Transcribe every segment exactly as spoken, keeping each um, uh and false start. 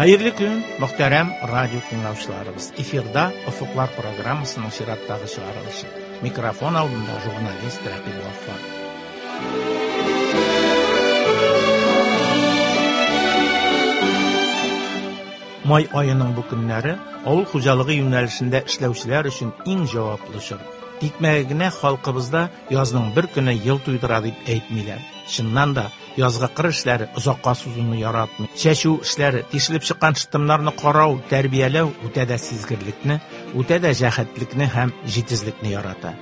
Хәерле көн, мөхтәрәм радио тыңлаучыларыбыз. Эфирда Офыклар программасының чираттагы чыгарылышы. Микрофон алдында журналист Рәкыйп Гаффар. Май аеның бу көннәре авыл хуҗалыгы юнәлешендә эшләүчеләр өчен иң җаваплы чор. Тикмәгә генә халкыбызда язның бер көне ел туйдыра дип әйтмиләр. Чыннан да язгы кыр эшләре озакка сузуны яратмый. Чәчү эшләре, тишелеп чыккан шытымнарны карау, тәрбияләү үтә дә сизгерлекне, үтә дә җәһәтлекне һәм җитезлекне ярата.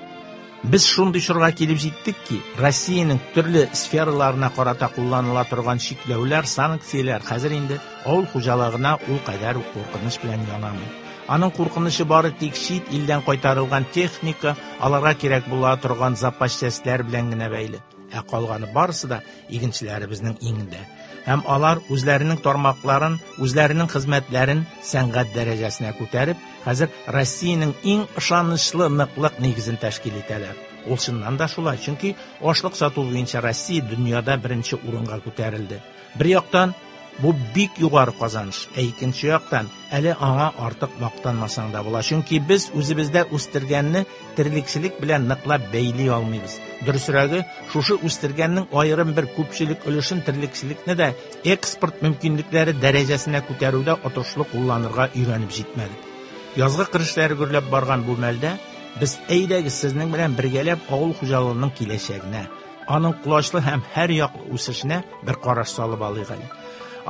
Без шундый чорга килеп җиттек ки, Россиянең төрле сфераларына карата кулланыла торган чикләүләр, санкцияләр хәзер инде авыл хуҗалыгына ул кадәр үк куркыныч белән янамый. Аның куркынычы бары тик чит илдән кайтарылган техника, аларга кирәк була торган запас частьләр белән генә бәйле. Ә калганы барысы да игенчеләребезнең иңендә. Һәм алар үзләренең тармакларын, үзләренең хезмәтләрен сәнгать дәрәҗәсенә күтәреп, хәзер Россиянең иң ышанычлы ныклык нигезен тәшкил итәләр. Ул чыннан да шулай, чөнки ашлык сату буенча Россия дөньяда беренче урынга күтәрелде. Бер яктан бу бик югары казаныш, ә икенче яктан әле аңа артык мактанмасаң да була. Чөнки без үзебездә үстергәнне терлекчелек белән ныклап бәйли алмыйбыз. Дөресрәге, шушы үстергәннең аерым бер күпчелек өлешен терлекчелекне дә экспорт мөмкинлекләре дәрәҗәсенә күтәрүдә отышлы кулланырга өйрәнеп җитмәдек. Язгы кыр эшләре гөрләп барган бу мәлдә без әйдәгез сезнең белән бергәләп авыл хуҗалыгының киләчәгенә, аның колачлы һәм һәр яклы үсешенә бер караш салып алыйк әле.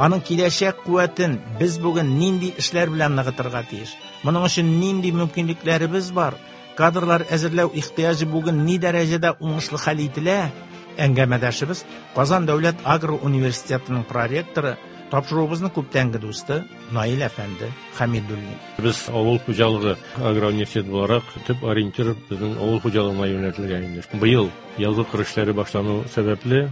Аның киләчәк куәтен без бүген нинди эшләр белән ныгытырга тиеш? Моның өчен нинди мөмкинлекләребез бар? Кадрлар әзерләү ихтыяҗы бүген ни дәрәҗәдә уңышлы хәл ителә? Әңгәмәдәшебез Казан дәүләт агро университетының проректоры, тапшыруыбызның күптәнге дусты Наил әфәнде Хәмидуллин. Без авыл хуҗалыгы агро университеты буларак төп ориентир безнең авыл хуҗалыгына юнәлтелгән инде. Быел язгы кыр эшләре башлану сәбәпле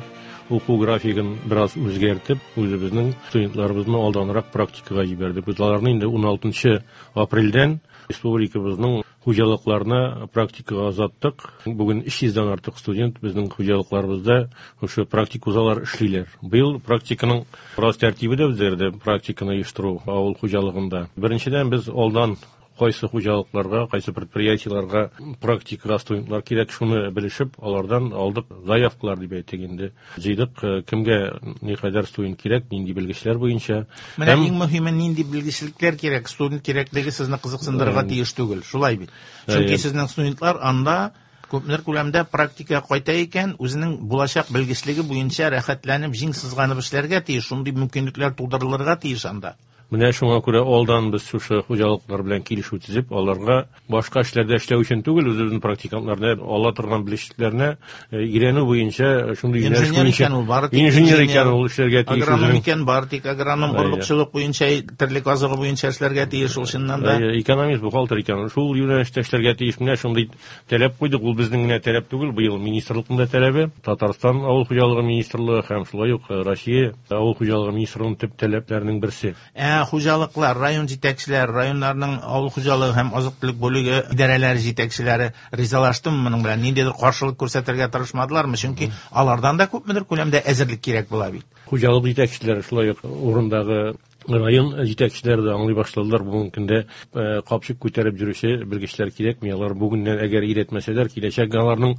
уку графигын бераз үзгәртеп, үзебезнең студентларыбызны алданрак практикага җибәрдек. Без аларны инде ун алтынчы апрельдән республикабызның хуҗалыкларына практикага озаттык. Бүген өч йөздән артык студент безнең хуҗалыкларыбызда шушы практик узалар эшлиләр. Быел практиканың бераз тәртибе дә үзгәрде, практиканы оештыру авыл хуҗалыгында. Беренчедән, без алдан кайсы хуҗалыкларга, кайсы предприятиеларга практикага студентлар кирәк, шуны белешеп, алардан алдык заявкалар дип әйтик инде. Җыйдык, кемгә никадәр студент кирәк, нинди белгечләр буенча. Менә Һәм иң мөһиме нинди белгечлекләр кирәк, студент кирәклеге сезне кызыксындырырга Әм. тиеш түгел, шулай бит. Чөнки Әйе. сезнең студентлар анда күпмедер күләмдә практика кайта икән, үзенең булачак белгечлеге буенча рәхәтләнеп, җиң сызганып эшләргә тиеш, шундый мөмкинлекләр тудырылырга тиеш анда. Менә шуңа күрә алдан без шушы хуҗалыклар белән килешү төзеп, аларга башка эшләрдә эшләү өчен түгел, үзебезнең практикантларны ала торган белгечлекләрне, э, өйрәнү буенча, шундый юнәлеш Инженер буенча икән ул, бары тик инженер инженер. икән ул эшләргә тиеш Агроном үзенең. икән, бары тик агроном, Әйе. орлыкчылык буенча, терлек азыгы буенча эшләргә тиеш ул чыннан да. Әйе, экономист, бухгалтер икән, шул юнәлештә эшләргә тиеш. Менә шундый таләп куйдык. Ул безнең генә таләп түгел, быел министрлыкның да таләбе, Татарстан авыл хуҗалыгы министрлыгы һәм шулай ук Россия авыл хуҗалыгы министрлыгының төп таләпләренең берсе. Ә хуҗалыклар, район җитәкчеләре, районнарның авыл хуҗалыгы һәм азык-төлек бүлеге идарәләре җитәкчеләре ризалаштымы моның белән? Ниндидер каршылык күрсәтергә тырышмадылармы? Чөнки алардан да күпмедер күләмдә әзерлек кирәк була бит. Хуҗалык җитәкчеләре шулай ук урындагы район җитәкчеләре дә аңлый башладылар. Бүгенге көндә, э, капчык күтәреп йөрүче белгечләр кирәкми. Алар бүгеннән әгәр өйрәтмәсәләр, киләчәк аларның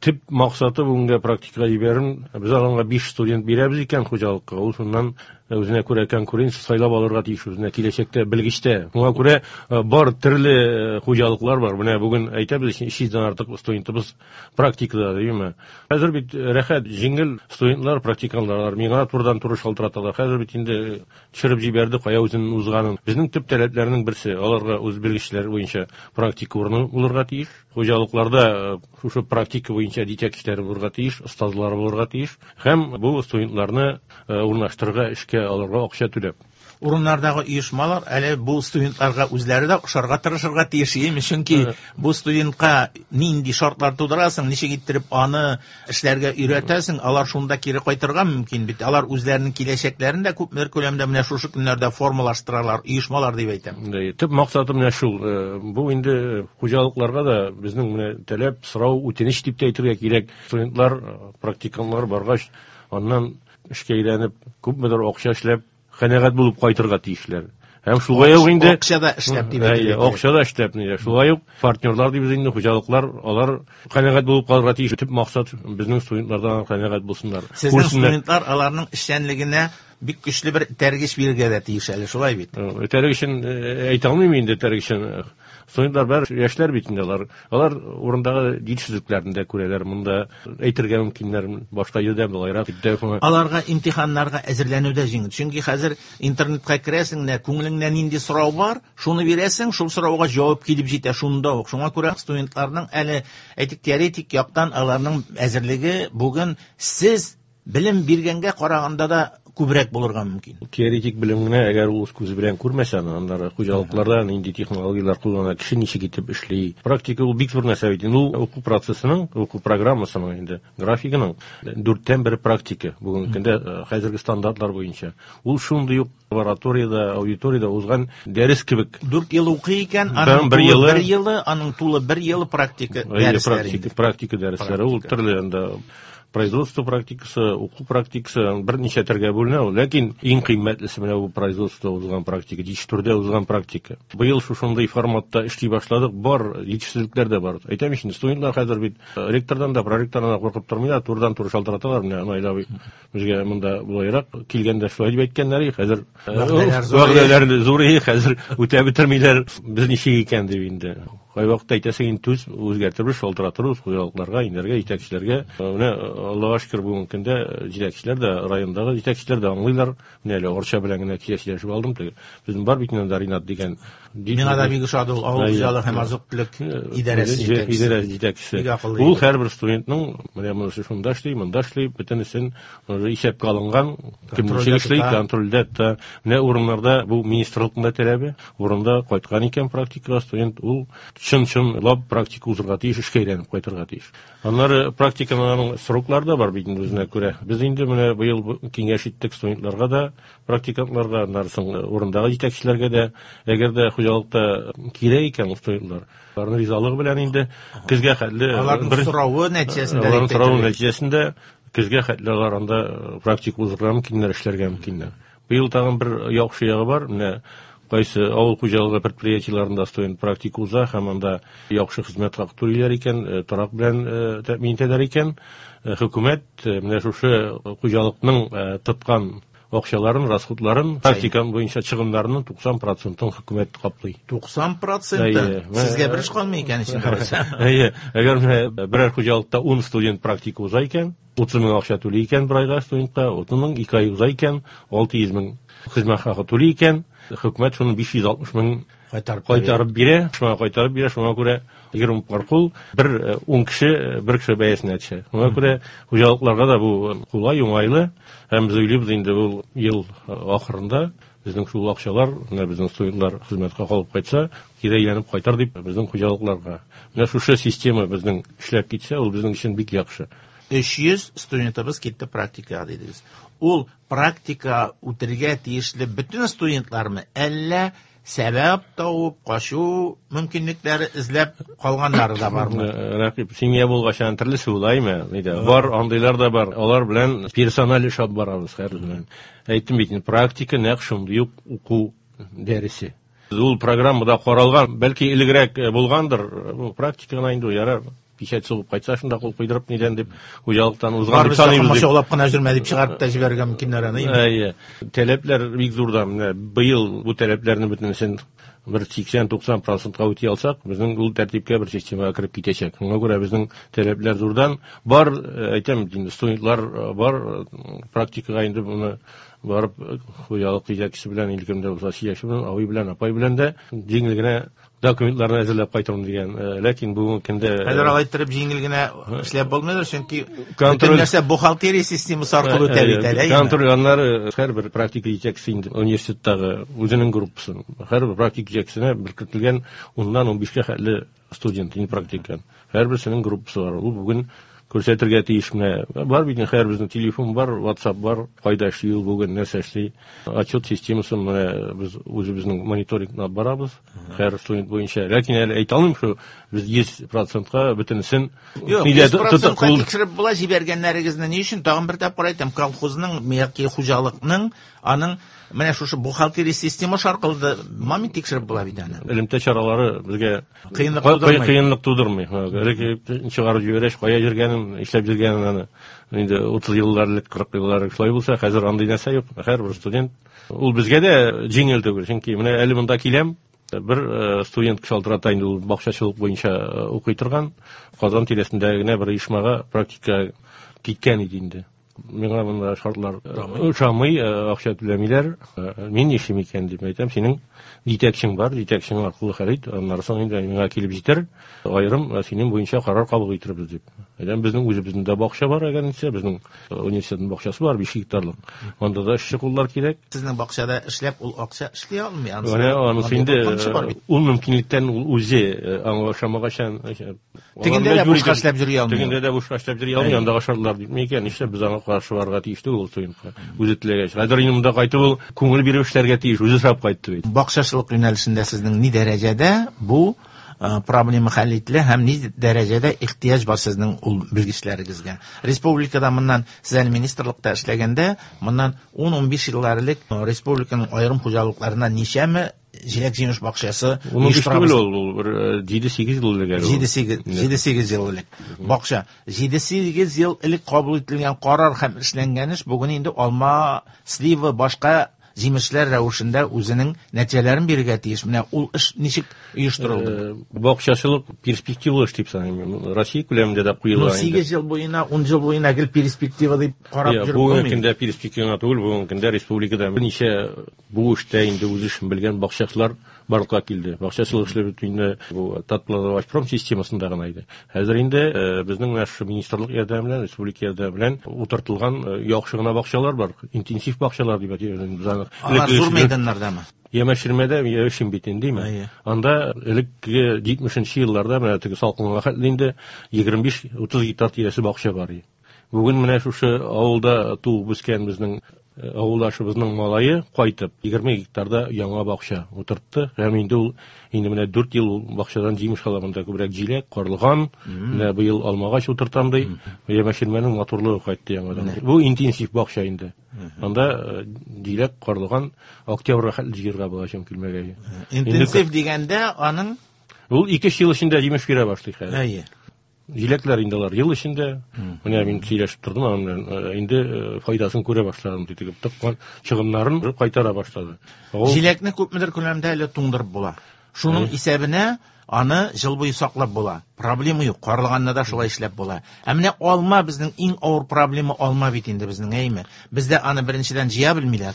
төп максаты бүгенге практикага җибәрү. Без аларга биш студент бирәбез икән хуҗалыкка, ул шуннан үзенә күрә конкуренция сайлап алырга тиеш, үзенә киләчәктә белгечтә. Шуңа күрә, э, бар төрле, э, хуҗалыклар бар. Менә бүген әйтәбез, өч йөздән артык студентыбыз практикада, димме? Хәзер бит рәхәт, җиңел студентлар, практикантлар миңа турыдан-туры шалтыраталар. Хәзер бит инде төшереп җибәрде, кая үзенең узганын. Безнең төп таләпләрнең берсе, аларга үз белгечләр буенча практика урыны булырга тиеш. Хуҗалыкларда, э, шушы практика буенча җитәкчеләр булырга тиеш, остазлар булырга тиеш һәм бу студентларны, э, урнаштырырга, эшкә алырга акча түләп. Урыннардагы оешмалар әле бу студентларга үзләре дә ошарга тырышырга тиеш, име? Чөнки Э. бу студентка нинди шартлар тудырасың, ничек иттереп аны эшләргә өйрәтәсең, алар шунда кире кайтырга мөмкин бит. Алар үзләренең киләчәкләрен дә күпмедер күләмдә менә шушы көннәрдә формалаштыралар, оешмалар дип әйтәм. Әйе, төп максаты менә шул. Э, бу инде хуҗалыкларга да безнең менә таләп, сорау, үтенеч дип тә әйтергә кирәк. Студентлар, практикантлар баргач, аннан эшкә әйләнеп, күпмедер акча эшләп, канәгать булып кайтырга тиешләр. Һәм шулай ук инде акча да эшләп дип әйтелә. Акча да эшләп инде. Шулай ук партнерлар дибез инде, хуҗалыклар, алар канәгать булып калырга тиеш. Төп максат безнең студентлардан канәгать булсыннар. Сезнең студентлар аларның эшчәнлегенә бик көчле бер этәргеч бирергә дә тиеш әле, шулай бит? Этәргечен әйтә алмыйм инде, этәргечен. Студентлар бар, яшьләр бит инде алар. Алар урындагы җитешсезлекләрне дә күрәләр, монда әйтергә мөмкиннәр, башка җирдә болайрак дип тә. Аларга имтиханнарга әзерләнү дә җиңел. Чөнки хәзер интернетка керәсең дә, күңелеңдә нинди сорау бар, шуны бирәсең, шул сорауга җавап килеп җитә шунда ук. Шуңа күрә студентларның әле, әйтик, теоретик яктан аларның әзерлеге бүген сез белем биргәнгә караганда да күбрәк булырга мөмкин. Теоретик белем генә, әгәр ул үз күзе белән күрмәсә, аннары хуҗалыкларда нинди технологияләр куллана, кеше ничек итеп эшли. Практика ул бик зур нәрсә бит. Ул уку процессының, уку программасының инде графигының дүрттән бер практика бүгенге көндә хәзерге стандартлар буенча. Ул шундый ук лабораториядә, аудиториядә узган дәрес кебек. Дүрт ел укый икән, аның бер елы, бер елы, аның тулы бер елы практика дәресләре. Практика, практика дәресләре. Ул төрле анда производство практикасы, уку практикасы берничә төргә бүленә ул. Ләкин иң кыйммәтлесе менә бу производство узган практика, җитештерүдә узган практика. Быел шушындый форматта эшли башладык, бар җитешсезлекләр дә бар. Әйтәм инде, студентлар хәзер бит ректордан да, проректордан да куркып тормыйлар, турыдан-туры шалтыраталар. Менә Наил абый безгә монда булайрак килгәндә шулай дип әйткәннәр, хәзер вәгъдәләр зур, хәзер үтә бетермиләр, без ничек икән дип инде. Кайвакытта әйтәсең, инде төз үзгәртербез, шалтыратырбыз хуҗалыкларга, инәргә, җитәкчеләргә. Менә Аллаһка шөкер, бүгенге көндә җитәкчеләр дә, райондагы җитәкчеләр дә аңлыйлар. Менә әле Арча белән генә килешеп алдым. Безнең бар бит инде Ринат дигән. Миңа да бик ошады ул авыл хуҗалыгы һәм азык-төлек идарәсе җитәкчесе. Идарәсе җитәкчесе. Ул һәрбер студентның менә монысы шунда эшли, монда эшли, бөтенесен исәпкә алынган, кем ничек эшли, контрольдә тота. Менә урыннарда бу министрлыкның да таләбе, урында кайткан икән практикага студент, ул чын-чынлап практика узырга тиеш, эшкә әйләнеп кайтырга тиеш. Аннары практиканың сроклары да бар бит инде үзенә күрә. Без инде менә быел киңәш иттек студентларга да, практикантларга, аннары соң урындагы җитәкчеләргә дә, әгәр дә хуҗалыкта кирәк икән студентлар, аларның ризалыгы белән инде көзгә хәтле аларның соравы нәтиҗәсендә, аларның соравы нәтиҗәсендә көзгә хәтле алар анда практика узырга мөмкиннәр, эшләргә мөмкиннәр. Быел тагын бер яхшы ягы бар, менә кайсы авыл хуҗалыгы предприятиеләрендә студент практика уза һәм анда яхшы хезмәт хакы түлиләр икән, торак белән тәэмин итәләр икән, хөкүмәт менә шушы хуҗалыкның тоткан акчаларын, расходларын, практика буенча чыгымнарының туксан процентын хөкүмәт каплый. туксан проценты? Сезгә бер эш калмый икән эчендә. Әйе, әгәр менә берәр хуҗалыкта ун студент практика уза икән, утыз мең акча түли икән бер айга студентка, утыз мең ике ай уза икән, алты йөз мең хезмәт хакы түли икән, хөкүмәт шуны биш йөз алтмыш мең кайтарып бирә, шуңа кайтарып бирә, шуңа күрә егерме паркул бер ун кеше бер кеше бәясенә төшә. Шуңа күрә хуҗалыкларга да бу кулай, уңайлы. Һәм без уйлыйбыз инде бу ел ахырында безнең шул акчалар, менә безнең студентлар хезмәткә калып кайтса, кире әйләнеп кайтар дип безнең хуҗалыкларга. Менә шушы система безнең эшләп китсә, ул безнең өчен бик яхшы. Өч йөз студентыбыз китте практикага дидегез. Ул практика үтергә тиешле бөтен студентлармы, әллә сәбәп табып качу мөмкинлекләре эзләп калганнары да бармы? Рәкыйп, семья булгач, аны төрлесе булаймы? Нидә? Бар, андыйлар да бар. Алар белән персональ эш алып барабыз һәр белән. Әйттем бит, практика нәкъ шундый ук уку дәресе. Ул программада каралган, бәлки элегрәк булгандыр, бу практика гына инде ярар. Печать сугып кайтса, шунда кул куйдырып нидән дип хуҗалыктан узган дип саныйбыз. Барыбыз шаулап кына йөрмә дип чыгарып та җибәрергә мөмкиннәр аны. Әйе. Таләпләр бик зурдан. Менә быел бу таләпләрне бөтенесен бер сиксән-туксан процентка үти алсак, безнең ул тәртипкә бер системага кереп китәчәк. Шуңа күрә безнең таләпләр зурдан. Бар, әйтәм, инде студентлар бар, практикага инде моны барып хуҗалык җитәкчесе белән, илкемдә булса сөйләшеп белән, абый белән, апай белән дә җиңел генә документларны әзерләп кайтырмын дигән. Ләкин бүгенге көндә хәзер алай иттереп җиңел генә эшләп булмыйдыр, чөнки бөтен нәрсә бухгалтерия системасы аркылы үтә бит әле. Контроль аннары һәрбер практика җитәкчесе инде университеттагы үзенең группасын, һәрбер практик җитәкчесенә беркетелгән уннан унбишкә хәтле студент инде практика. Һәрберсенең группасы бар. Ул бүген күрсәтергә тиеш менә. Бар бит инде һәрберсенең телефон бар, WhatsApp бар, кайда эшли ул бүген, нәрсә эшли. Отчет системасын менә без үзебезнең мониторингны алып барабыз һәр студент буенча. Ләкин әле әйтә алмыйм, шу без йөз процентка бөтенесен йөз процентка тикшереп була җибәргәннәрегезне. Ни өчен? Тагын бер тапкыр әйтәм, колхозның яки хуҗалыкның аның Менә шушы бухгалтерия система шаркылды, мамин тикшереп була бит аны. Элемтә чаралары безгә кыенлык тудырмый. Кыенлык тудырмый. Элек чыгарып җибәреш, кая йөргәнен, эшләп йөргәнен аны. Инде утыз еллар элек, кырык еллар элек шулай булса, хәзер андый нәрсә юк. Һәрбер студент ул безгә дә җиңел түгел, чөнки менә әле монда киләм, бер студент шалтырата инде, ул бакчачылык буенча укый торган, Казан тирәсендә генә бер оешмага практика киткән иде инде. Миңа монда шартлар ошамый, акча түләмиләр, мин нишлим икән дип әйтәм, синең җитәкчең бар, җитәкчең аркылы хәл ит, аннары соң инде миңа килеп җитәр, аерым синең буенча карар кабул итербез дип. Әйтәм, безнең үзебезнең дә бакча бар, әгәр ничә, безнең университетның бакчасы бар, биш гектарлык. Анда да эшче куллар кирәк. Сезнең бакчада эшләп ул акча эшли алмый, анысы. Менә анысы инде ул мөмкинлектән ул үзе аңа ошамагачан. Тегендә дә бушка эшләп йөри алмый. Тегендә дә бушка эшләп йөри алмый, андагы шартлар битми икән, нишләп без аңа каршы барырга тиеш түгел ул студентка. Үзе теләгәч. Хәзер инде монда кайтып ул күңел биреп эшләргә тиеш, үзе сорап кайтты бит. Бакчачылык юнәлешендә сезнең ни дәрәҗәдә бу проблема хәл ителә һәм ни дәрәҗәдә ихтыяҗ бар сезнең ул белгечләрегезгә? Республикада моннан сез әле министрлыкта эшләгәндә, моннан ун-унбиш еллар элек республиканың аерым хуҗалыкларына ничәме җиләк-җимеш бакчасы оештырабыз? Ул бер җиде-сигез ел элек әле. Җиде-сигез ел элек. Бакча җиде-сигез ел элек кабул ителгән карар һәм эшләнгән эш бүген инде алма, слива, башка җимешләр рәвешендә үзенең нәтиҗәләрен бирергә тиеш. Менә ул эш ничек оештырылды? Бакчачылык перспективалы эш дип саныйм. Россия күләмендә дә куела инде. Сигез ел буена, ун ел буена гел перспектива дип карап йөреп булмый. Бүгенге көндә перспектива түгел, бүгенге көндә республикада берничә бу эштә инде үз эшен белгән бакчачылар барлыкка килде. Бакчачылык эшләре бит инде бу Татплодовощпром системасында гына иде. Хәзер инде безнең менә шушы министрлык ярдәме белән, республика ярдәме белән утыртылган яхшы гына бакчалар бар, интенсив бакчалар дип әйтәбез без аны. Алар зур мәйданнардамы? Ямаширмәдә яшим бит инде, димме? Анда элекке җитмешенче елларда менә теге салкынга хәтле инде егерме биш-утыз гектар тирәсе бакча бар иде. Бүген менә шушы авылда туып үскән безнең авылдашыбызның малае кайтып егерме гектарда яңа бакча утыртты. Һәм инде ул инде менә дүрт ел ул бакчадан җимеш ала, монда күбрәк җиләк, карлыган, менә быел алмагач утыртам ди. Ямаширмәнең матурлыгы кайтты яңадан. Бу интенсив бакча инде. Анда җиләк, карлыган октябрьгә хәтле җыярга була чөнки килмәгәе. Интенсив дигәндә аның ул ике ел эчендә җимеш бирә башлый хәзер. Әйе. Җиләкләр инде алар ел эчендә. Менә мин сөйләшеп тордым аның белән, инде файдасын күрә башладым дип, тыккан чыгымнарын кайтара башлады. Җиләкне күпмедер күләмдә әле туңдырып була. Шуның исәбенә аны ел буе саклап була. Проблема юк. Карлыганны да шулай эшләп була. Ә менә алма безнең иң авыр проблема алма бит инде безнең, әйме? Бездә аны беренчедән җыя белмиләр,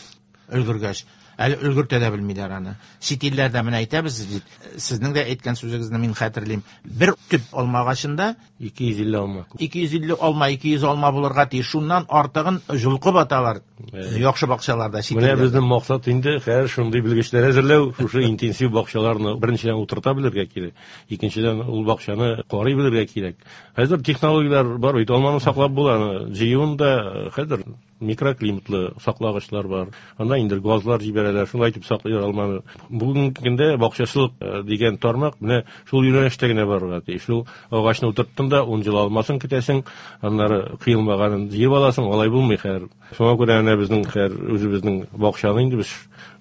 өлгергәч. Әле өлгертә дә белмиләр аны. Чит илләрдә менә әйтәбез бит. Сезнең дә әйткән сүзегезне мин хәтерлим. Бер төп алма агачында ике йөз илле алма. ике йөз илле алма, ике йөз алма булырга тиеш. Шуннан артыгын җолкып аталар. Яхшы бакчаларда, чит Менә илләрдә. безнең максат инде хәзер шундый белгечләр әзерләү, шушы интенсив бакчаларны беренчедән утырта белергә кирәк, икенчедән ул бакчаны карый белергә кирәк. Хәзер технологияләр бар бит, алманы саклап була, аны җыюын да хәзер микроклиматлы саклагычлар бар. Анда инде газлар җибәрәләр, шулай итеп саклыйлар алманы. Бүгенге көндә бакчачылык дигән тармак менә шул юнәлештә генә барырга тиеш. Шул агачны утырттың да ун ел алмасын көтәсең, аннары кыелмаганын җыеп аласың, алай булмый хәзер. Шуңа күрә менә безнең хәзер үзебезнең бакчаны инде без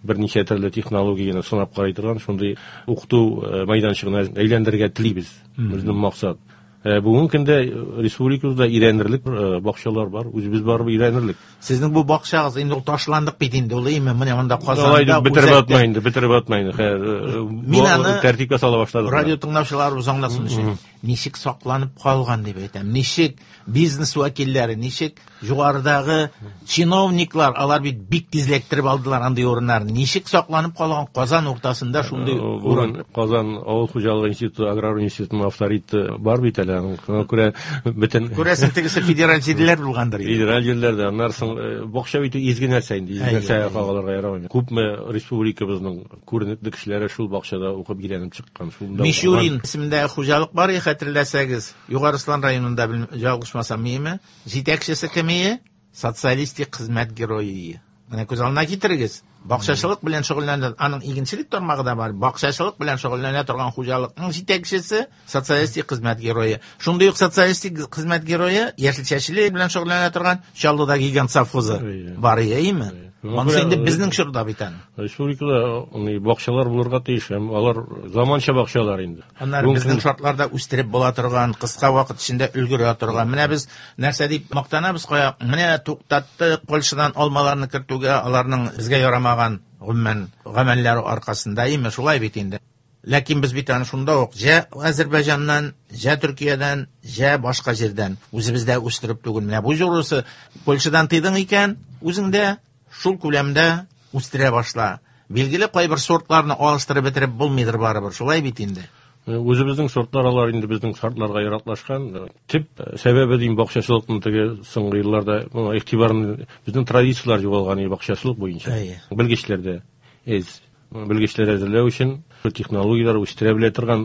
берничә төрле технологияне сынап карый торган шундый укыту мәйданчыгына әйләндерергә телибез. Безнең максат. Бүгенге көндә республикабызда өйрәнерлек бакчалар бар, үзебез барып өйрәнерлек. Сезнең бу бакчагыз инде ул ташландык бит инде, ул әйме? Менә монда Казанда Алай дип бетереп атма инде, бетереп атма инде. Хәер, Мин аны тәртипкә сала башладык. Радио тыңлаучыларыбыз аңласын өчен, ничек сакланып калган дип әйтәм. Ничек бизнес вәкилләре, ничек югарыдагы чиновниклар, алар бит бик тизләктереп алдылар андый урыннарны. Ничек сакланып калган Казан уртасында шундый урын? Казан авыл хуҗалыгы институты, аграр институтының авторитеты бар бит әле. Шуңа күрә бөтен Күрәсең, тегесе федераль җирләр булгандыр инде. Федераль җирләрдә, аннан соң бакча бит изге нәрсә инде, изге нәрсә калырга ярамый. Күпме республикабызның күренекле кешеләре шул бакчада укып өйрәнеп чыккан, шунда Мишурин исемендәге хуҗалык бар, хәтерләсәгез, Югары Ослан районында, ялгышмасам, миме? Җитәкчесе кем ие? Социалистик хезмәт герое. Менә күз алдына китерегез. Бакчачылык белән шөгыльләнә, аның игенчелек тармагы да бар. Бакчачылык белән шөгыльләнә торган хуҗалыкның җитәкчесе социалистик хезмәт герое. Шундый ук социалистик хезмәт герое яшелчәчелек белән шөгыльләнә торган Чаллыда гигант совхозы бар, әйеме? Монысы инде безнең чорда бит аны. Республикада бакчалар булырга тиеш, һәм алар заманча бакчалар инде. Аннары безнең шартларда үстереп була торган, кыска вакыт эчендә өлгерә торган. Менә без нәрсә дип мактанабыз, кая, менә туктаттык Польшадан алмаларны кертүгә, аларның безгә ярамаган гомумән гамәлләре аркасында, әйеме, шулай бит инде. Ләкин без бит аны шунда ук җә Азербайҗаннан, җә Төркиядән, җә башка җирдән үзебездә үстереп түгел. Менә бу җурысы Польшадан тыйдың икән, үзеңдә шул күләмдә үстерә башла. Билгеле, кайбер сортларны алыштырып бетереп булмыйдыр барыбер, шулай бит инде. Үзебезнең сортлар алар инде безнең шартларга яраклашкан. Төп сәбәбе дим бакчачылыкның теге соңгы елларда моңа игътибарны безнең традицияләр югалган бакчачылык буенча. Белгечләрдә эз белгечләр әзерләү өчен технологияләр үстерә белә торган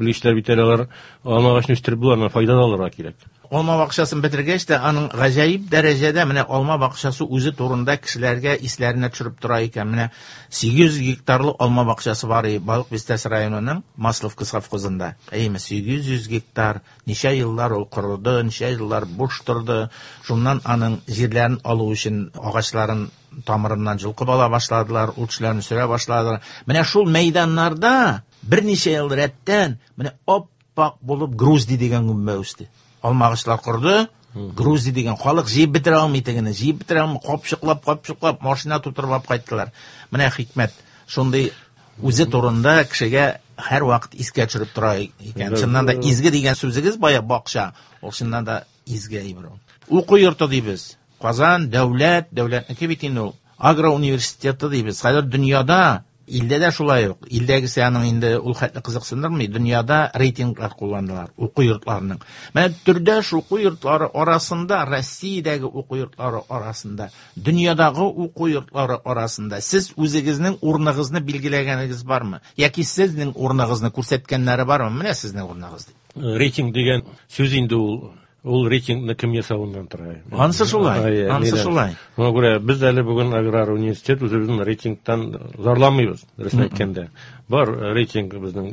белгечләр бит әле алар алма агачын үстереп була, аннан файда алырга кирәк. Алма бакчасын бетергәч тә аның гаҗәеп дәрәҗәдә менә алма бакчасы үзе турында кешеләргә исләренә төшереп тора икән. Менә сигез йөз гектарлы алма бакчасы бар Балык Бистәсе районының Масловка совхозында. Әйеме, сигез йөз гектар, ничә еллар ул корыды, ничә еллар буш торды. Шуннан аның җирләрен алу өчен агачларын тамырыннан җылкып ала башладылар, үлчеләрне сөрә башладылар. Менә шул мәйданнарда берничә ел рәттән менә ап-ак булып грузди дигән гөмбә үсте. Алма агачлар корды, грузди дигән халык җыеп бетерә алмый тегене, җыеп бетерә алмый, капчыклап, капчыклап машина тутырып алып кайттылар. Менә хикмәт шундый үзе турында кешегә һәр вакыт искә төшереп тора икән. Чыннан да изге дигән сүзегез бая бакча, ул чыннан да изге әйбер ул. Уку йорты дибез. Казан дәүләт, дәүләтнеке бит инде ул. Агро университеты дибез. Хәзер дөньяда, илдә дә шулай ук. Илдәгесе аның инде ул хәтле кызыксындырмый. Дөньяда рейтинглар кулланыла уку йортларының. Менә төрдәш уку йортлары арасында, Россиядәге уку йортлары арасында, дөньядагы уку йортлары арасында сез үзегезнең урыныгызны билгеләгәнегез бармы? Яки сезнең урыныгызны күрсәткәннәре бармы? Менә сезнең урыныгыз дип. Рейтинг дигән сүз инде ул Ул рейтингны кем ясавыннан тора. Ансы шулай, ансы шулай. Шуңа күрә без әле бүген аграр университет үзебезнең рейтингтан зарланмыйбыз, дөресен әйткәндә. Бар рейтинг безнең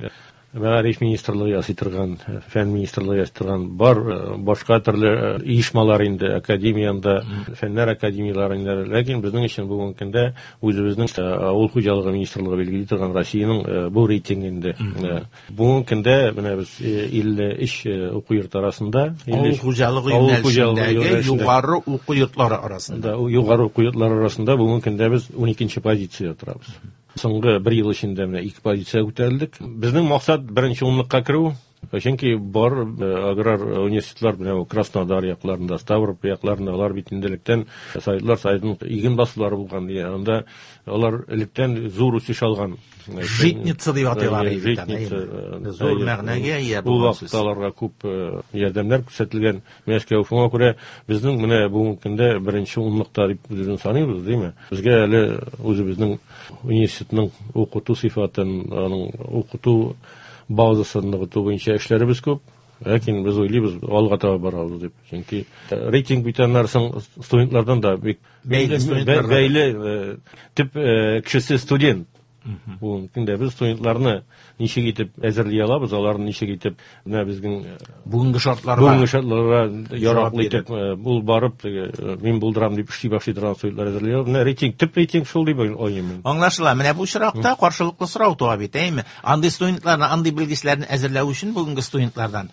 Мәгариф министрлыгы ясый торган, фән министрлыгы ясый торган, бар башка төрле оешмалар инде, академиянда, фәннәр академияләре инде. Ләкин безнең өчен бүгенге көндә үзебезнең авыл хуҗалыгы министрлыгы билгели торган Россиянең бу рейтингы инде. Бүгенге көндә менә без илле өч уку йорты арасында, авыл хуҗалыгы юнәлешендәге югары уку йортлары арасында, югары уку йортлары арасында бүгенге көндә без ун икенче позициядә торабыз. Соңгы бер ел эчендә менә ике позиция күтәрелдек. Безнең максат беренче унлыкка керү. Чөнки бар аграр университетлар менә Краснодар якларында, Ставрополь якларында, алар бит инде электән Советлар Союзының иген басулары булган, анда алар электән зур үсеш алган. Житница дип атыйлар иде. Зур мәгънәгә ия булган. Ул вакытта аларга күп ярдәмнәр күрсәтелгән. Мәскәү, шуңа күрә безнең менә бүгенге көндә беренче унлыкта дип үзебезне саныйбыз, димме? Безгә әле үзебезнең университетның укыту сыйфатын, аның укыту базасын ныгыту буенча эшләребез күп. Ләкин без уйлыйбыз, алга таба барабыз дип. Чөнки рейтинг бит аннан соң студентлардан да бик бәйле, төп кешесе студент. Бүгенге көндә без студентларны ничек итеп әзерли алабыз, аларны ничек итеп менә безнең бүгенге шартларга, бүгенге шартларга яраклы итеп, ул барып мин булдырам дип эшли башлый торган студентлар әзерли алабыз. Менә рейтинг, төп рейтинг шул дип уйлыйм мин. Аңлашыла. Менә бу очракта каршылыклы сорау туа бит, әйме? Андый студентларны, андый белгечләрне әзерләү өчен бүгенге студентлардан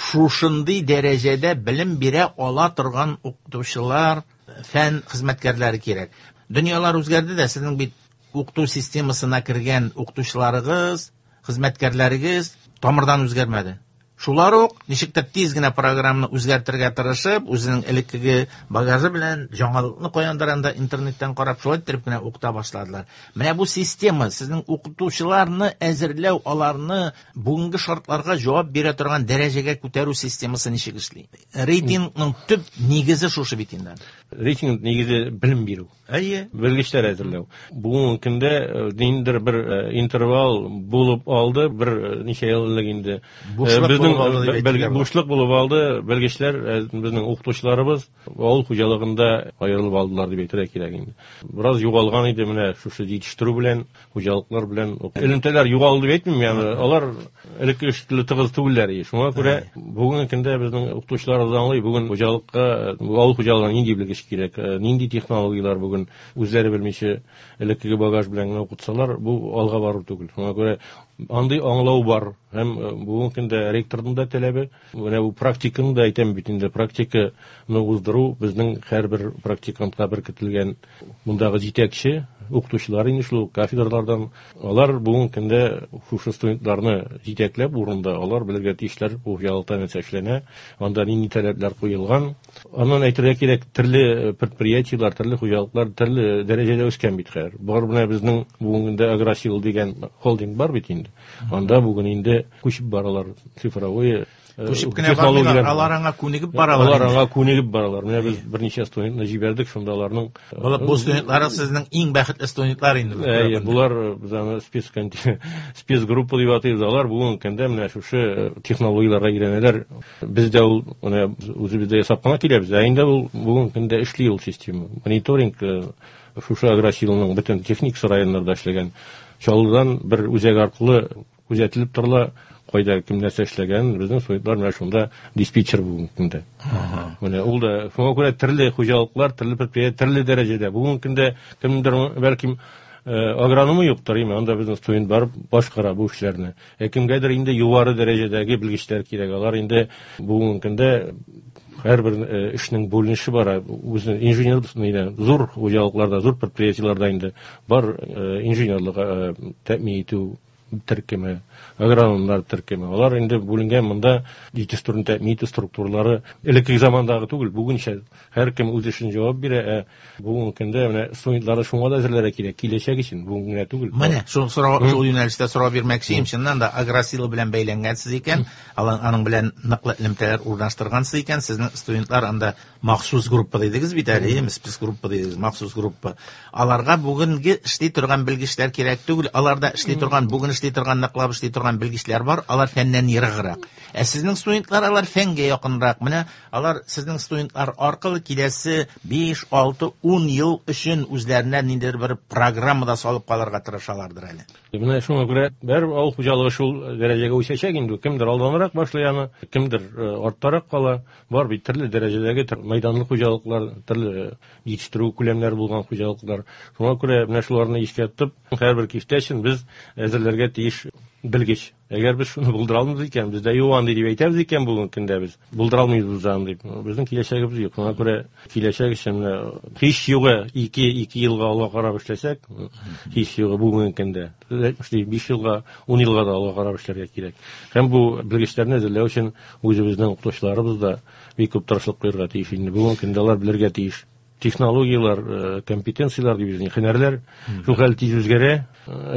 шушындый дәрәҗәдә белем бирә ала торган укытучылар, фән хезмәткәрләре кирәк. Дөньялар үзгәрде дә, сезнең бит укыту системасына кергән укытучыларыгыз, хезмәткәрләрегез тамырдан үзгәрмәде. Шулар ук ничек тә тиз генә программаны үзгәртергә тырышып, үзенең элеккеге багажы белән яңалыкны каяндыр анда интернеттан карап, шулай итеп кенә укыта башладылар. Менә бу система сезнең укытучыларны әзерләү, аларны бүгенге шартларга җавап бирә торган дәрәҗәгә күтәрү системасы ничек эшли? Рейтингның төп нигезе шушы бит инде. Рейтинг нигезе белем бирү. Әйе. Белгечләр әзерләү. Бүгенге көндә ниндидер бер интервал булып алды, бер ничә ел элек инде. Бушлык Безнең бушлык булып алды. Белгечләр, безнең укытучыларыбыз авыл хуҗалыгында аерылып алдылар дип әйтергә кирәк инде. Бераз югалган иде менә шушы җитештерү белән, хуҗалыклар белән. Элемтәләр югалды дип әйтмим, ягъни алар элекке шикелле тыгыз түгелләр. Шуңа күрә бүгенге көндә безнең укытучыларыбыз аңлый, бүген хуҗалыкка, авыл хуҗалыгына нинди белгеч кирәк, нинди технологияләр бүген үзләре белмичә элеккеге багаж белән генә укытсалар, бу алга бару түгел. Шуңа күрә андый аңлау бар. Һәм бүгенге көндә ректорның да таләбе, менә бу практиканы да әйтәм бит инде, практиканы уздыру безнең һәрбер практикантка беркетелгән мондагы җитәкче укытучылар инде шул кафедралардан, алар бүгенге көндә шушы студентларны җитәкләп урында алар белергә тиешләр, бу хуҗалыкта нәрсә эшләнә, анда нинди таләпләр куелган. Аннан әйтергә кирәк, төрле предприятиеләр, төрле хуҗалыклар төрле дәрәҗәдә үскән бит хәзер. Бар менә безнең бүгенге көндә Агросил дигән холдинг бар бит инде. Анда бүген инде күчеп баралар цифровой Күчеп кенә бармыйлар, алар аңа күнегеп баралар. Алар аңа күнегеп баралар. Менә без берничә студентны җибәрдек, шунда аларның Бу студентлар сезнең иң бәхетле студентлар инде. Әйе, булар без аны спец спецгруппа дип атыйбыз. Алар бүгенге көндә менә шушы технологияләргә өйрәнәләр. Без дә ул менә үзебездә ясап кына киләбез. Ә инде ул бүгенге көндә эшли ул система. Мониторинг шушы Агросилның бөтен техник районнарда эшләгән Чаллыдан бер үзәк аркылы күзәтелеп торыла, кайда кем нәрсә эшләгән, безнең студентлар менә шунда диспетчер бүгенге көндә. Менә ул да шуңа күрә төрле хуҗалыклар, төрле предприятие, төрле дәрәҗәдә. Бүгенге көндә кемдер бәлкем агрономы юктыр, име, анда безнең студент барып башкара бу эшләрне. Ә кемгәдер инде югары дәрәҗәдәге белгечләр кирәк. Алар инде бүгенге көндә һәрбер эшнең бүленеше бар. Үзенең инженер инде зур хуҗалыкларда, зур предприятиеләрдә инде бар инженерлык тәэмин итү төркеме, агрономнар төркеме. Алар инде бүленгән монда җитештерү тәэмин итү структуралары элекке замандагы түгел, бүгенчә һәркем үз эшен җавап бирә. Ә бүгенге көндә менә студентларны шуңа да әзерләргә кирәк, киләчәк өчен, бүген генә түгел. Менә шул сорау, шул юнәлештә сорау бирмәкче идем. Чыннан да Агросила белән бәйләнгәнсез икән, аның белән ныклы элемтәләр урнаштыргансыз икән, сезнең студентлар анда махсус группа дидегез бит әле, әйеме, спецгруппа дидегез, махсус группа. Аларга бүгенге эшли торган белгечләр кирәк түгел, аларда эшли торган, бүген эшли торган, ныклап эшли торган белгечләр бар, алар фәннән ераграк. Ә сезнең студентлар алар фәнгә якынрак. Менә алар сезнең студентлар аркылы киләсе биш, алты, ун ел өчен үзләренә ниндидер бер программада салып калырга тырышалардыр әле. Менә шуңа күрә бер авыл хуҗалыгы шул дәрәҗәгә үсәчәк инде. Кемдер алданрак башлый аны, кемдер арттарак кала. Бар бит төрле дәрәҗәдәге мәйданлы хуҗалыклар, төрле җитештерү күләмнәре булган хуҗалыклар. Шуңа күрә менә шуларны искә тотып, һәрбер киштә өчен без әзерләргә тиеш белгеч. Әгәр без шуны булдыра алмыйбыз икән, бездә юк андый дип әйтәбез икән, бүгенге көндә без булдыра алмыйбыз андый. Безнең киләчәгебез юк. Шуңа күрә киләчәк өчен менә һич югы ике, ике елга алга карап эшләсәк, һич югы бүгенге көндә биш елга, ун елга да алга карап эшләргә кирәк. Һәм бу белгечләрне әзерләү өчен үзебезнең укытучыларыбыз да бик күп тырышлык куярга тиеш. Инде бүгенге көндә алар белергә тиеш. Технологияләр, компетенцияләр дип безнең һөнәрләр шул хәл тиз үзгәрә.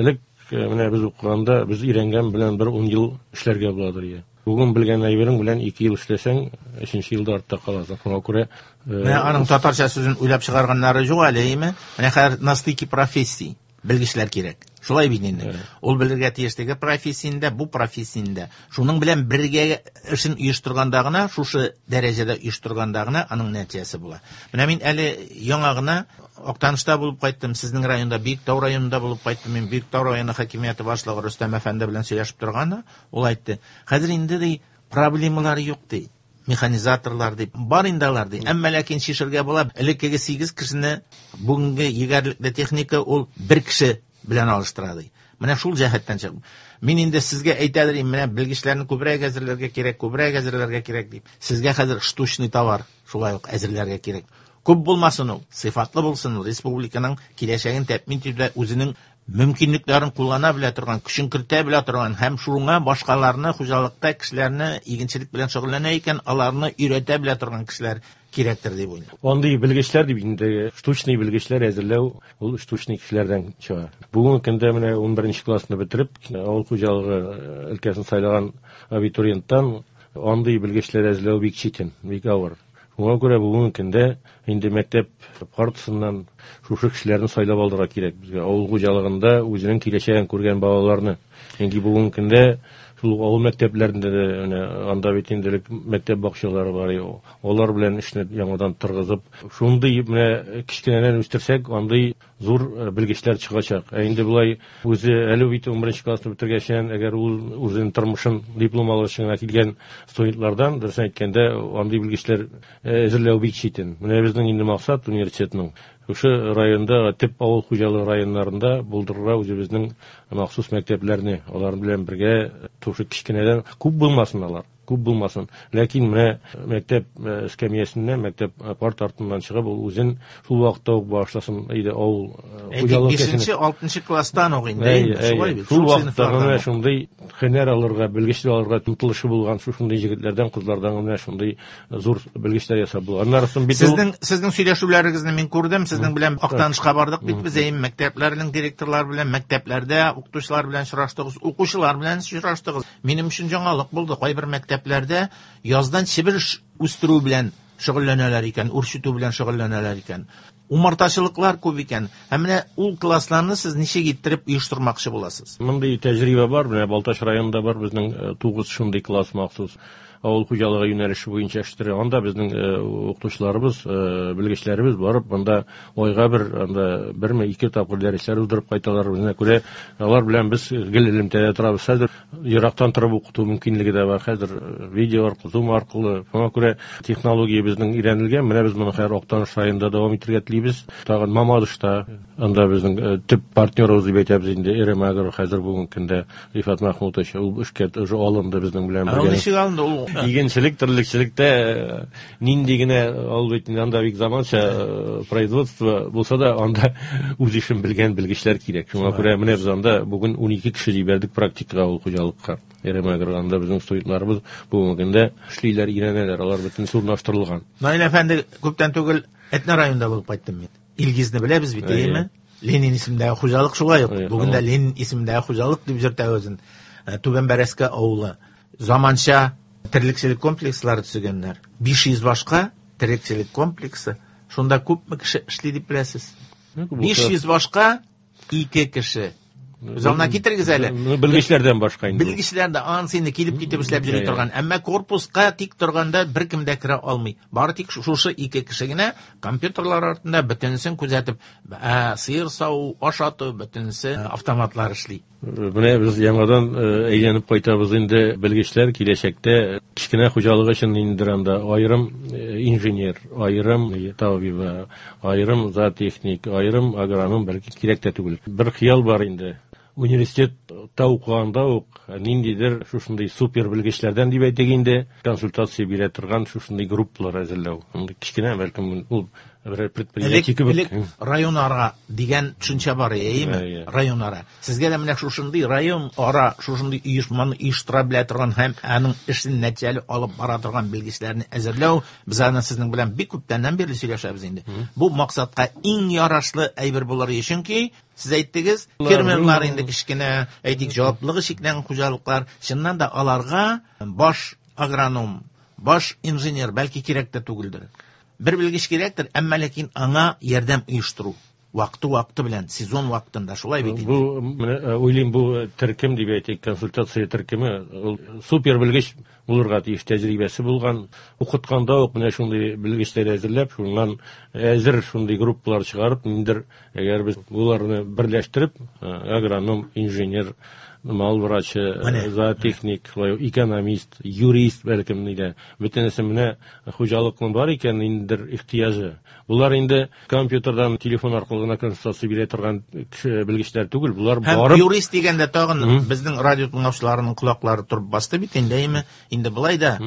Элек менә без укыганда без өйрәнгән белән бер ун ел эшләргә буладыр иде. Бүген белгән әйберең белән ике ел эшләсәң, өченче елда артта каласың. Шуңа күрә менә аның татарча сүзен уйлап чыгарганнары юк әле, әйеме? Менә хәзер на стыке профессий белгечләр кирәк. Шулай бит инде. Ул белергә тиеш теге профессияндә, бу профессияндә. Шуның белән бергә эшен оештырганда гына, шушы дәрәҗәдә оештырганда гына аның нәтиҗәсе була. Менә мин әле яңа гына Актанышта булып кайттым, сезнең районда, Биектау районында булып кайттым. Мин Биектау районы хакимияте башлыгы Рөстәм әфәнде белән сөйләшеп торганда, ул әйтте: "Хәзер инде ди проблемалар юк ди. Механизаторлар дип бар инде алар ди. Әмма ләкин шишергә була. Элеккеге сигез кешене бүгенге егәрлекле техника ул бер кеше белән алыштыра ди. Менә шул җәһәттән чыгып, мин инде сезгә әйтәдер инде, менә белгечләрне күбрәк әзерләргә кирәк, күбрәк әзерләргә кирәк дип. Сезгә хәзер штучный товар шулай ук әзерләргә кирәк. Күп булмасын ул, сыйфатлы булсын ул, республиканың киләчәген тәэмин итүдә үзенең мөмкинлекләрен куллана белә торган, көчен кертә белә торган һәм шуңа башкаларны, хуҗалыкта кешеләрне игенчелек белән шөгыльләнә икән, аларны өйрәтә белә торган кешеләр кирәктер дип уйлыйм. Андый белгечләр дип инде штучный белгечләр әзерләү ул штучный кешеләрдән чыга. Бүгенге көндә менә ун беренче классны бетереп, авыл хуҗалыгы өлкәсен сайлаган абитуриенттан андый белгечләр әзерләү бик читен, бик авыр. Шуңа күрә бүгенге көндә инде мәктәп партасыннан шушы кешеләрне сайлап алырга кирәк безгә. Авыл хуҗалыгында үзенең киләчәген күргән балаларны. Чөнки бүгенге көндә Шул авыл мәктәпләрендә дә менә анда бит инде мәктәп бакчалары бар, алар белән эшне яңадан торгызып, шундый менә кечкенәдән үстерсәк, андый зур белгечләр чыгачак. Ә инде болай үзе әле бит унберенче классны бетергәчән, әгәр ул үзенең тормышын диплом алыр өчен генә килгән студентлардан, дөресен әйткәндә, андый белгечләр әзерләү бик читен. Менә безнең инде максат университетның шушы районда, төп авыл хуҗалыгы районнарында булдырырга үзебезнең махсус мәктәпләрне, алар белән бергә шушы кечкенәдән күп булмасын алар, күп булмасын. Ләкин менә мәктәп эскәмиясеннән, мәктәп парт артыннан чыгып, ул үзен шул вакытта ук башласын иде авыл хуҗалыгы. Бишенче, алтынчы класстан ук инде, шулай бит. Шул вакытта менә шундый һөнәр алырга, белгечлек алырга омтылышы булган шушындый егетләрдән, кызлардан менә шундый зур белгечләр ясап була. Аннары соң бит сезнең сезнең сөйләшүләрегезне мин күрдем, сезнең белән Актанышка бардык бит без, әйе, мәктәпләрнең директорлары белән, мәктәпләрдә укытучылар белән очраштыгыз, укучылар белән очраштыгыз. Минем өчен яңалык булды. Кайбер мәктәпләрдә яздан чебер үстерү белән шөгыльләнәләр икән, үрчетү белән шөгыльләнәләр икән. Умартачылыклар күп икән. Һәм менә ул классларны сез ничек иттереп оештырмакчы буласыз? Мондый тәҗрибә бар, менә Балтач районында бар безнең тугыз шундый класс махсус авыл хуҗалыгы юнәлеше буенча эштерә. Анда безнең укытучыларыбыз, белгечләребез барып, анда айга бер, анда берме ике тапкыр дәресләр уздырып кайталар. Үзенә күрә алар белән без гел элемтәдә торабыз. Хәзер ерактан торып укыту мөмкинлеге дә бар. Хәзер видео аркылы, Zoom аркылы. Шуңа күрә технология безнең өйрәнелгән. Менә без моны хәзер Актаныш районында дәвам итәргә телибез. Тагын Мамадышта, анда безнең төп партнерыбыз дип әйтәбез инде, Эремагро хәзер бүгенге көндә Рифат Махмутович ул эшкә уже алынды безнең белән бергә. Ул ничек алынды ул? Игенчелек, терлекчелектә нинди генә ул бит анда бик заманча производство булса да, анда үз эшен белгән белгечләр кирәк. Шуңа күрә менә без анда бүген унике кеше җибәрдек практикага ул хуҗалыкка. Эремагро анда безнең студентларыбыз бүгенге көндә эшлиләр, өйрәнәләр, алар бөтенесе урнаштырылган. Наил әфәнде, күптән түгел Әтнә районында булып кайттым мин. Илгизне беләбез бит, әйеме? Ленин исемендәге хуҗалык шулай ук. Бүген дә Ленин исемендәге хуҗалык дип йөртә үзен. Түбән Бәрәскә авылы. Заманча терлекчелек комплекслары төзегәннәр. биш йөз башка терлекчелек комплексы. Шунда күпме кеше эшли дип беләсез? биш йөз башка ике кеше. Замана китерегез әле. Белгечләрдән башка инде. Белгечләр дә ансы инде килеп китеп эшләп йөри торган. Әмма корпуска тик торганда беркем дә керә алмый. Бары тик шушы ике кеше генә компьютерлар артында бөтенесен күзәтеп, сыер саву, ашату, бөтенесе автоматлар эшли. Менә без яңадан әйләнеп кайтабыз инде. Белгечләр киләчәктә кечкенә хуҗалык өчен инде анда аерым инженер, аерым табиб, аерым зоотехник, аерым агроном бәлки кирәк тә түгел. Бер хыял бар инде. Университетта укыганда ук ниндидер шушындый супер белгечләрдән дип әйтик инде консультация бирә торган шушындый группалар әзерләү. Андый кечкенә бәлкем ул бер предприятие кебек. Район ара дигән төшенчә бар, әйеме? Район ара. Сезгә дә менә шушындый район ара, шушындый оешманы оештыра белә торган һәм аның эшен нәтиҗәле алып бара торган белгечләрне әзерләү, без аны сезнең белән бик күптәннән бирле сөйләшәбез инде. Бу максатка иң ярашлы әйбер булыр, чөнки сез әйттегез, фермерлар инде кечкенә, әйтик, җаваплылыгы чикләнгән хуҗалыклар, чыннан да аларга баш агроном, баш инженер бәлки кирәк тә түгелдер. Бер белгеч кирәктер, әмма ләкин аңа ярдәм оештыру вакыты-вакыты белән, сезон вакытында шулай бит инде. Бу менә уйлыйм, бу төркем дип әйтик, консультация төркеме, ул супер белгеч булырга тиеш, тәҗрибәсе булган, укытканда ук менә шундый белгечләр әзерләп, шуннан әзер шундый группалар чыгарып, ниндер, әгәр без буларны берләштереп, агроном, инженер, мал врачы, зоотехник, экономист, юрист бәлкем нидә, бөтенесе менә хуҗалыкның бар икән ниндидер ихтыяҗы. Булар инде компьютердан, телефон аркылы гына консультация бирә торган кеше белгечләр түгел, булар барып юрист дигәндә тагын безнең радио тыңлаучыларының колаклары торып басты бит инде, әйеме? Инде болай да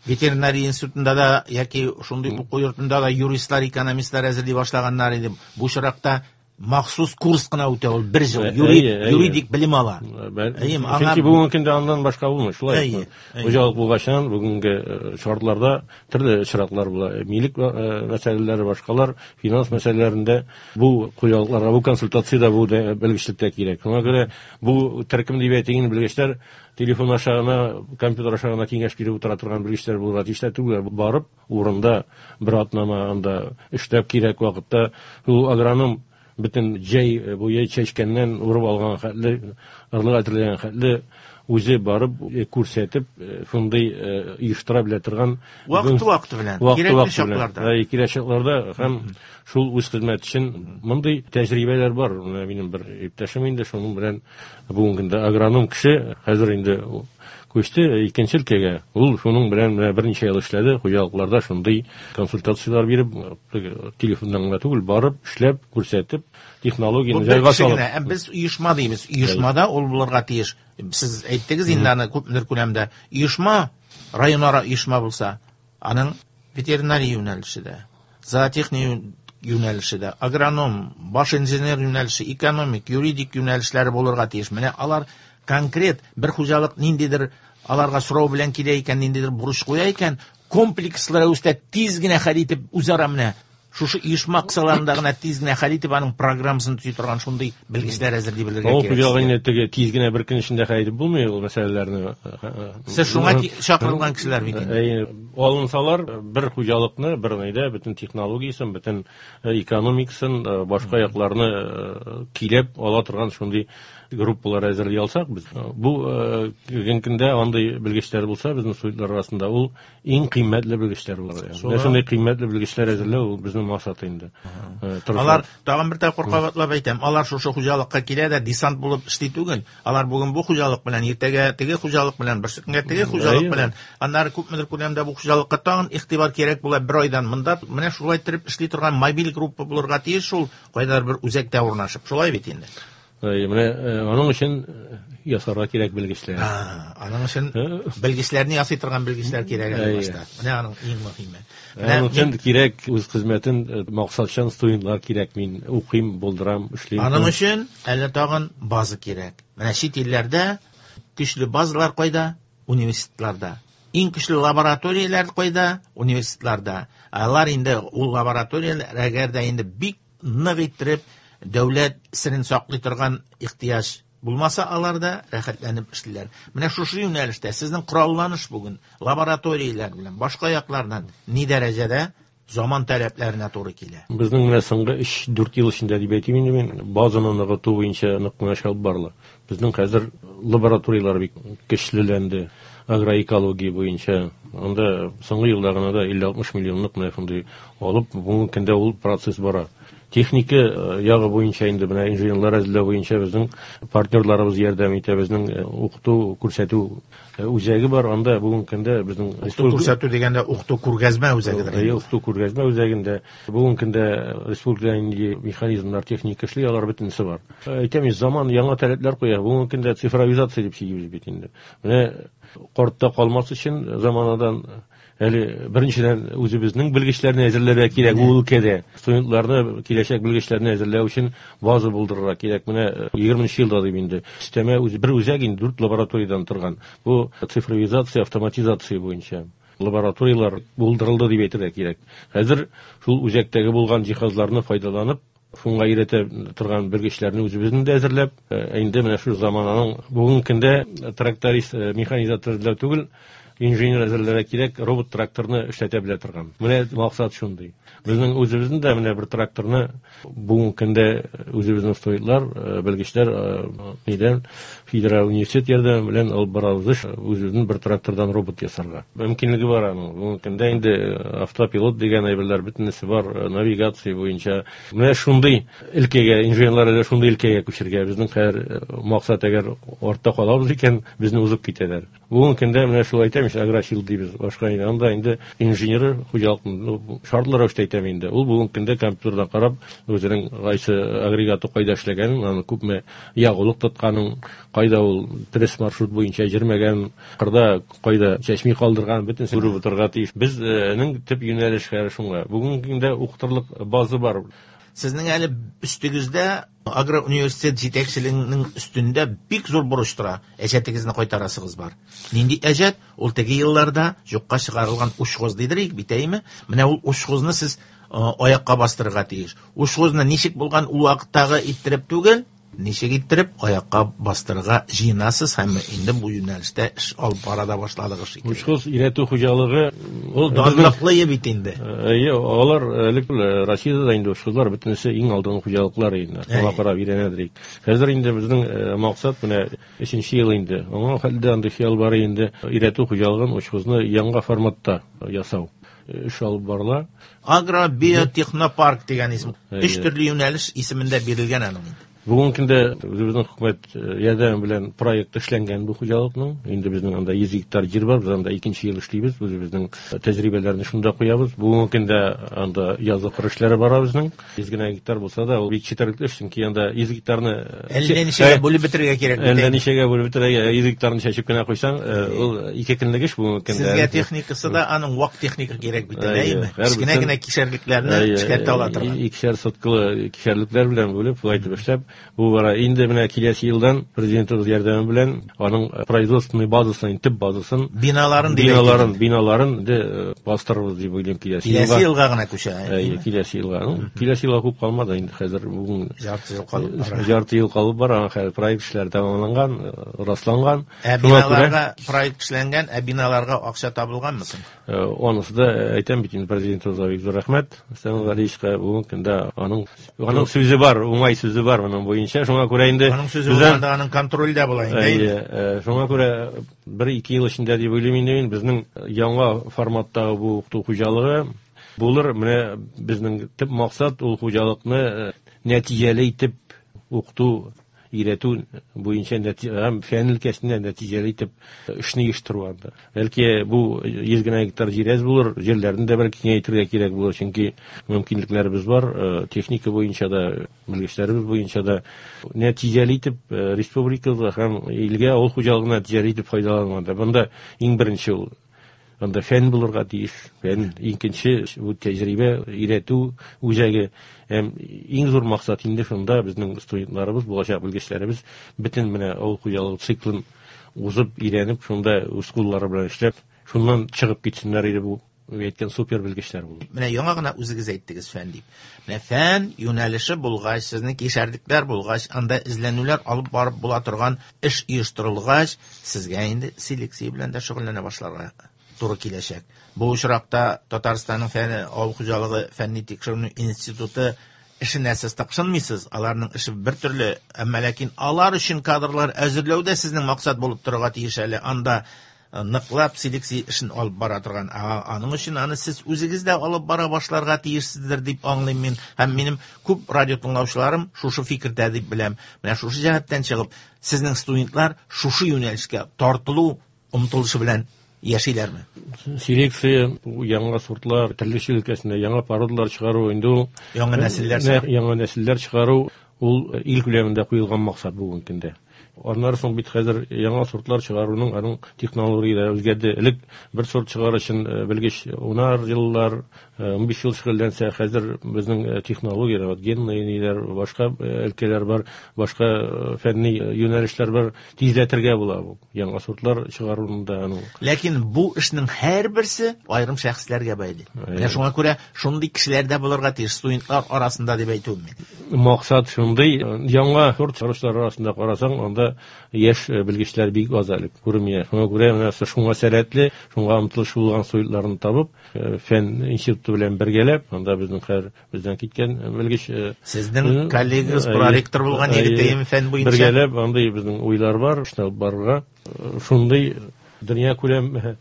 ветеринария институтында да яки шундый уку йортында да юристлар, экономистлар әзерли башлаганнар иде. Бу очракта махсус курс кына үтә ул бер ел, юридик белем ала. Чөнки бүгенге көндә аннан башка булмый, шулай. Хуҗалык булгачан бүгенге шартларда төрле шартлар була. Милек мәсьәләләре, башкалар, финанс мәсьәләләрендә бу хуҗалыкларга бу консультация да, бу белгечлек тә кирәк. Шуңа күрә бу төркем дип әйтелгән белгечләр телефон аша гына, компьютер аша гына киңәш биреп утыра торган белгечләр булырга тиеш түгел. Барып урында бер атнама анда эшләп кирәк вакытта ул агроном бөтен җәй буе чәчкәннән урып алган хәтле, орлык әзерләгән хәтле үзе барып күрсәтеп, шундый оештыра белә торган вакыты-вакыты белән, кирәкле чакларда. Кирәк чакларда һәм шул үз хезмәт өчен мондый тәҗрибәләр бар. Менә минем бер иптәшем инде шуның белән бүгенге көндә агроном кеше, хәзер инде күчте икенче өлкәгә. Ул шуның белән менә берничә ел эшләде, хуҗалыкларда шундый консультацияләр биреп, телефоннан гына түгел, барып, эшләп, күрсәтеп, технологияне җайга салып. Ә без оешма дибез. Оешмада ул булырга тиеш. Сез әйттегез инде аны күпмедер күләмдә. Оешма, районара оешма булса, аның ветеринария юнәлеше дә, зоотехния юнәлеше дә, агроном, баш инженер юнәлеше, экономик, юридик юнәлешләре булырга тиеш. Менә алар конкрет бер хуҗалык ниндидер аларга сорау белән килә икән, ниндидер бурыч куя икән, комплекслы рәвештә тиз генә хәл итеп үзара менә шушы оешма кысаларында гына тиз генә хәл итеп аның программасын төзи торган шундый белгечләр әзерли белергә кирәк. Авыл хуҗалыгы теге тиз генә бер көн эчендә хәл итеп булмый ул мәсьәләләрне. Сез шуңа чакырылган кешеләр бит инде. Алынсалар бер хуҗалыкны бер нидә бөтен технологиясен, бөтен экономикасын, башка якларны килеп ала торган шундый группалар әзерли алсак без. Бу бүгенге көндә андый белгечләр булса, безнең студентлар арасында ул иң кыйммәтле белгечләр булыр. Менә шундый кыйммәтле белгечләр әзерләү ул безнең максат инде. Алар тагын бер тапкыр кабатлап әйтәм, алар шушы хуҗалыкка килә дә десант булып эшли түгел. Алар бүген бу хуҗалык белән, иртәгә теге хуҗалык белән, берсекөнгә теге хуҗалык белән, аннары күпмедер күләмдә бу хуҗалыкка тагын игътибар кирәк була бер айдан. Монда менә шулай итеп эшли торган мобиль группа булырга тиеш, шул кайдадыр бер үзәктә урнашып. Шулай бит инде. Менә аның өчен ясарга кирәк белгечләр. Аның өчен белгечләрне ясый торган белгечләр кирәк әле башта. Менә аның иң мөһиме. Аның өчен кирәк үз хезмәтен максатчан студентлар кирәк. Мин укыйм, булдырам, эшлим. Аның өчен әле тагын база кирәк. Менә чит илләрдә көчле базалар кайда? Университетларда. Иң көчле лабораторияләр кайда? Университетларда. Алар инде ул лабораторияләр әгәр дә инде бик нык иттереп дәүләт серен саклый торган ихтыяҗ булмаса, алар да рәхәтләнеп эшлиләр. Менә шушы юнәлештә сезнең коралланыш бүген лабораторияләр белән башка яклардан ни дәрәҗәдә заман таләпләренә туры килә? Безнең менә соңгы өч дүрт ел эчендә дип әйтим инде мин, базаны ныгыту буенча нык кына эш алып барыла. Безнең хәзер лабораторияләр бик көчлеләнде. Агроэкология буенча анда соңгы елда гына да илле алтмыш миллионлык менә шундый алып, бүгенге көндә ул процесс бара. Техника ягы буенча инде менә инженерлар әзерләү буенча безнең партнерларыбыз ярдәм итә, безнең укыту күрсәтү үзәге бар. Анда бүгенге көндә безнең укыту күрсәтү дигәндә укыту күргәзмә үзәгедер. Әйе, укыту күргәзмә үзәгендә бүгенге көндә республикада нинди механизмнар, техника эшли, алар бөтенесе бар. Әйтәм, заман яңа таләпләр куя. Бүгенге көндә цифровизация дип сөйлибез бит инде. Менә картта калмас өчен заманадан әле беренчедән үзебезнең белгечләрне әзерләргә кирәк бу өлкәдә. Студентларны, киләчәк белгечләрне әзерләү өчен база булдырырга кирәк. Менә егерменче елда дип инде система үзе бер үзәк инде дүрт лабораториядан торган. Бу цифровизация, автоматизация буенча лабораторияләр булдырылды дип әйтергә кирәк. Хәзер шул үзәктәге булган җиһазларны файдаланып, шуңа өйрәтә торган белгечләрне үзебезнең дә әзерләп, инде менә шул замананың бүгенге көндә тракторист, механизатор әзерләү түгел, инженер әзерләргә кирәк, робот тракторны эшләтә белә торган. Менә максат шундый. Безнең үзебезнең дә менә бер тракторны бүгенге көндә үзебезнең студентлар, белгечләр нидән федераль университет ярдәме белән алып барабыз, үзебезнең бер трактордан робот ясарга. Мөмкинлеге бар аның. Бүгенге көндә инде автопилот дигән әйберләр бөтенесе бар, навигация буенча. Менә шундый өлкәгә, инженерлар әле шундый өлкәгә күчергә. Безнең хәзер максат, әгәр артта калабыз икән, безне узып китәләр. Бүгенге көндә менә шулай әйтәм, агросил дибез. Башка инде анда инде инженер хуҗалыкның шартлы рәвештә әйтәм инде. Ул бүгенге көндә компьютердан карап, үзенең кайсы агрегаты кайда эшләгәнен, аны күпме ягулык тотканын, кайда ул дөрес маршрут буенча йөрмәгән, кырда кайда чәчми калдырган, бөтенесен күреп утырырга тиеш. Безнең төп юнәлеш хәзер шуңа. Бүгенге көндә укытырлык база бар. Сезнең әле өстегездә агроуниверситет җитәкчелегенең өстендә бик зур бурыч тора. Әҗәтегезне кайтарасыгыз бар. Нинди әҗәт? Ул теге елларда юкка чыгарылган учхоз дидерик бит, әйме? Менә ул учхозны сез аякка бастырырга тиеш. Учхозны ничек булган ул вакыттагы иттереп түгел, ничек иттереп аякка бастырырга җыенасыз һәм инде бу юнәлештә эш алып бара да башладыгыз шикелле. Учхоз өйрәтү хуҗалыгы ул данлыклы бит инде. Әйе, алар элек Россиядә дә инде учхозлар бөтенесе иң алдынгы хуҗалыклар инде. Шуңа карап өйрәнәдер. Хәзер инде безнең максат менә өченче ел инде. Аңа хәлдә андый хыял бар инде өйрәтү хуҗалыгын учхозны яңа форматта ясау. Эш алып барыла. Агро-биотехнопарк дигән исем. Өч төрле юнәлеш исемендә бирелгән аның инде. Бүгенге көндә үзебезнең хөкүмәт ярдәме белән проект эшләнгән бу хуҗалыкның. Инде безнең анда йөз гектар җир бар, без анда икенче ел эшлибез, үзебезнең тәҗрибәләрне шунда куябыз. Бүгенге көндә анда язгы кыр эшләре бара безнең. Йөз генә гектар булса да, ул бик четерекле эш, чөнки анда йөз гектарны әллә ничәгә бүлеп бетерергә кирәк. Әллә ничәгә бүлеп бетерергә, йөз гектарны чәчеп кенә куйсаң, ул ике көнлек эш бүгенге көндә. Сезгә техникасы да аның вак техника кирәк бит, әйеме? Кечкенә генә кишәрлекләрне эшкәртә ала торган. Икешәр соткалы кишәрлекләр белән бүлеп, шулай итеп эшләп бу бара. Инде менә киләсе елдан президентыбыз ярдәме белән аның производственный базасын, төп базасын, биналарын, биналарын, биналарын инде бастырырбыз дип уйлыйм киләсе елга. Киләсе елга гына күчә. Әйе, киләсе елга. Киләсе елга күп калмады инде, хәзер бүген ярты ел калып бара. Ярты ел калып бара, хәзер проект эшләре тәмамланган, расланган. Ә биналарга проект эшләнгән, ә биналарга акча табылганмы соң? Анысы да әйтәм бит инде, президентыбызга бик зур рәхмәт. Рөстәм Галиевичка бүгенге көндә аның аның сүзе бар, уңай сүзе бар моның буенча. Шуңа күрә инде аның сүзе булганда аның контрольдә була инде. Әйе, шуңа күрә бер-ике ел эчендә дип уйлыйм инде мин, безнең яңа форматтагы бу укыту хуҗалыгы булыр. Менә безнең төп максат ул хуҗалыкны нәтиҗәле итеп укыту, өйрәтү буенча һәм фән өлкәсендә нәтиҗәле итеп эшне оештыру анда. Бәлки бу йөз генә гектар җир әз булыр, җирләрне дә бәлки киңәйтергә кирәк булыр, чөнки мөмкинлекләребез бар, техника буенча да, белгечләребез буенча да нәтиҗәле итеп республикабызга һәм илгә авыл хуҗалыгына нәтиҗәле итеп файдалану анда. Монда иң беренче ул анда фән булырга тиеш, фән, икенче бу тәҗрибә өйрәтү үзәге. Һәм иң зур максат инде шунда безнең студентларыбыз, булачак белгечләребез бөтен менә авыл хуҗалыгы циклын узып, өйрәнеп, шунда үз куллары белән эшләп, шуннан чыгып китсеннәр иде бу әйткән супер белгечләр булып. Менә яңа гына үзегез әйттегез фән дип. Менә фән юнәлеше булгач, сезнең кишәрлекләр булгач, анда эзләнүләр алып барып була торган эш оештырылгач, сезгә инде селекция белән дә шөгыльләнә башларга туры киләчәк. Бу очракта Татарстанның фән авыл хуҗалыгы фәнни тикшеренү институты эшенә сез тыкшынмыйсыз, аларның эше бер төрле, әмма ләкин алар өчен кадрлар әзерләү дә сезнең максат булып торырга тиеш әле. Анда ныклап селекция эшен алып бара торган. Аның өчен аны сез үзегез дә алып бара башларга тиешсездер дип аңлыйм мин. Һәм минем күп радио тыңлаучыларым шушы фикердә дип беләм. Менә шушы җәһәттән чыгып, сезнең студентлар шушы юнәлешкә тартылу омтылышы белән яшиләрме? Селекция, яңа сортлар, терлекчелек өлкәсендә яңа породалар чыгару, инде ул яңа нәселләр чыгару, яңа нәселләр чыгару ул ил күләмендә куелган максат бүгенге көндә. Аннары соң бит хәзер яңа сортлар чыгаруның аның технологияләре үзгәрде. Элек бер сорт чыгару өчен белгеч унар еллар, унбиш ел шөгыльләнсә, хәзер безнең технологияләр, вот генный ниләр, башка өлкәләр бар, башка фәнни юнәлешләр бар, тизләтергә була бу яңа сортлар чыгаруны да аның. Ләкин бу эшнең һәрберсе аерым шәхесләргә бәйле. Менә шуңа күрә шундый кешеләр дә булырга тиеш студентлар арасында дип әйтүем мин. Максат шундый, яңа сорт чыгаручылар арасында карасаң, анда яшь белгечләр бик аз әле күренми. Шуңа күрә менә шуңа сәләтле, шуңа омтылыш булган студентларны табып, фән институты белән бергәләп, анда безнең хәзер бездән киткән белгеч, сезнең коллегагыз проректор булган егетем фән буенча бергәләп андый безнең уйлар бар, эшне алып барырга. Шундый дөнья күләм,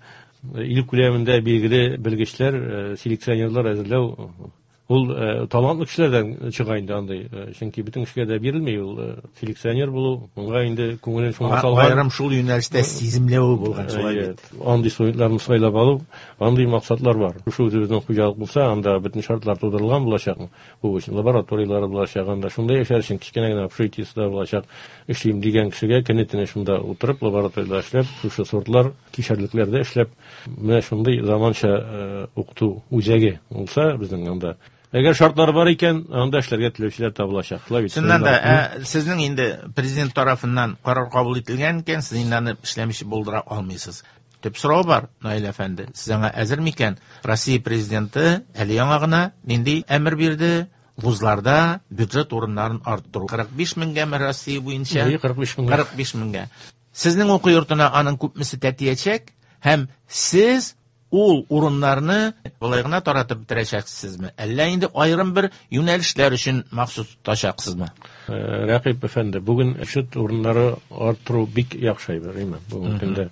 ил күләмендә билгеле белгечләр, селекционерлар әзерләү ул талантлы кешеләрдән чыга инде андый, чөнки бөтен кешегә дә бирелми ул селекционер булу, моңа инде күңелен шуңа салган. Аерым шул юнәлештә сиземләве булган шулай бит. Андый студентларны сайлап алу, андый максатлар бар. Шушы үзебезнең хуҗалык булса, анда бөтен шартлар тудырылган булачак. Бу өчен лабораторияләр булачак, анда шунда яшәр өчен кечкенә генә общежитиесе дә булачак. Эшлим дигән кешегә көне-төне шунда утырып, лабораториядә эшләп, шушы сортлар, кишәрлекләрдә эшләп, менә шундый заманча укыту үзәге булса безнең анда. Әгәр шартлар бар икән, анда эшләргә теләүчеләр табылачак. Чыннан да, сезнең инде президент тарафыннан карар кабул ителгән икән, сез инде аны эшләмичә булдыра алмыйсыз. Төп сорау бар, Наил әфәнде, сез аңа әзер микән? Россия президенты әле яңа гына нинди әмер бирде? Вузларда бюджет урыннарын арттыру. кырык биш меңгәме Россия буенча? кырык биш меңгә. кырык биш меңгә. Сезнең уку йортына аның күпмесе тәтиячәк һәм сез ул урыннарны болай гына таратып бетерәчәксезме? Әллә инде аерым бер юнәлешләр өчен махсус тотачаксызмы? Рәкыйп әфәнде, бүген бюджет урыннары арттыру бик яхшы әйбер, әйме? Бүгенге көндә.